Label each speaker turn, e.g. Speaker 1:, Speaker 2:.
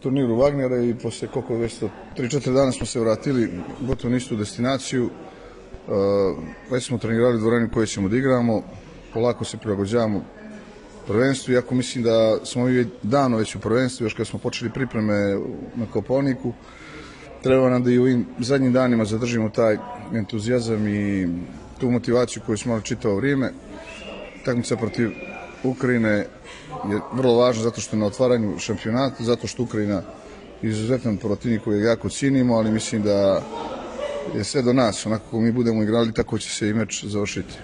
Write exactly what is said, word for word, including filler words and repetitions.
Speaker 1: turniru Wagnera i posle koliko već tri četiri dana smo se vratili gotovo na istu destinaciju. Već smo trenirali u dvorani u kojoj ćemo da igramo, polako se prilagođavamo prvenstvu, iako mislim da smo mi davno već u prvenstvu, još kad smo počeli pripreme na Kopaoniku. Treba nam da i u ovim zadnjim danima zadržimo taj entuzijazam i tu motivaciju koju smo imali čitavo vrijeme. Takmica protiv Ukrajine je vrlo važna zato što je na otvaranju šampionata, zato što Ukrajina je izuzetan protivnik koji jako cijenimo, ali mislim da je sve do nas. Onako kako mi budemo igrali, tako će se i meč završiti.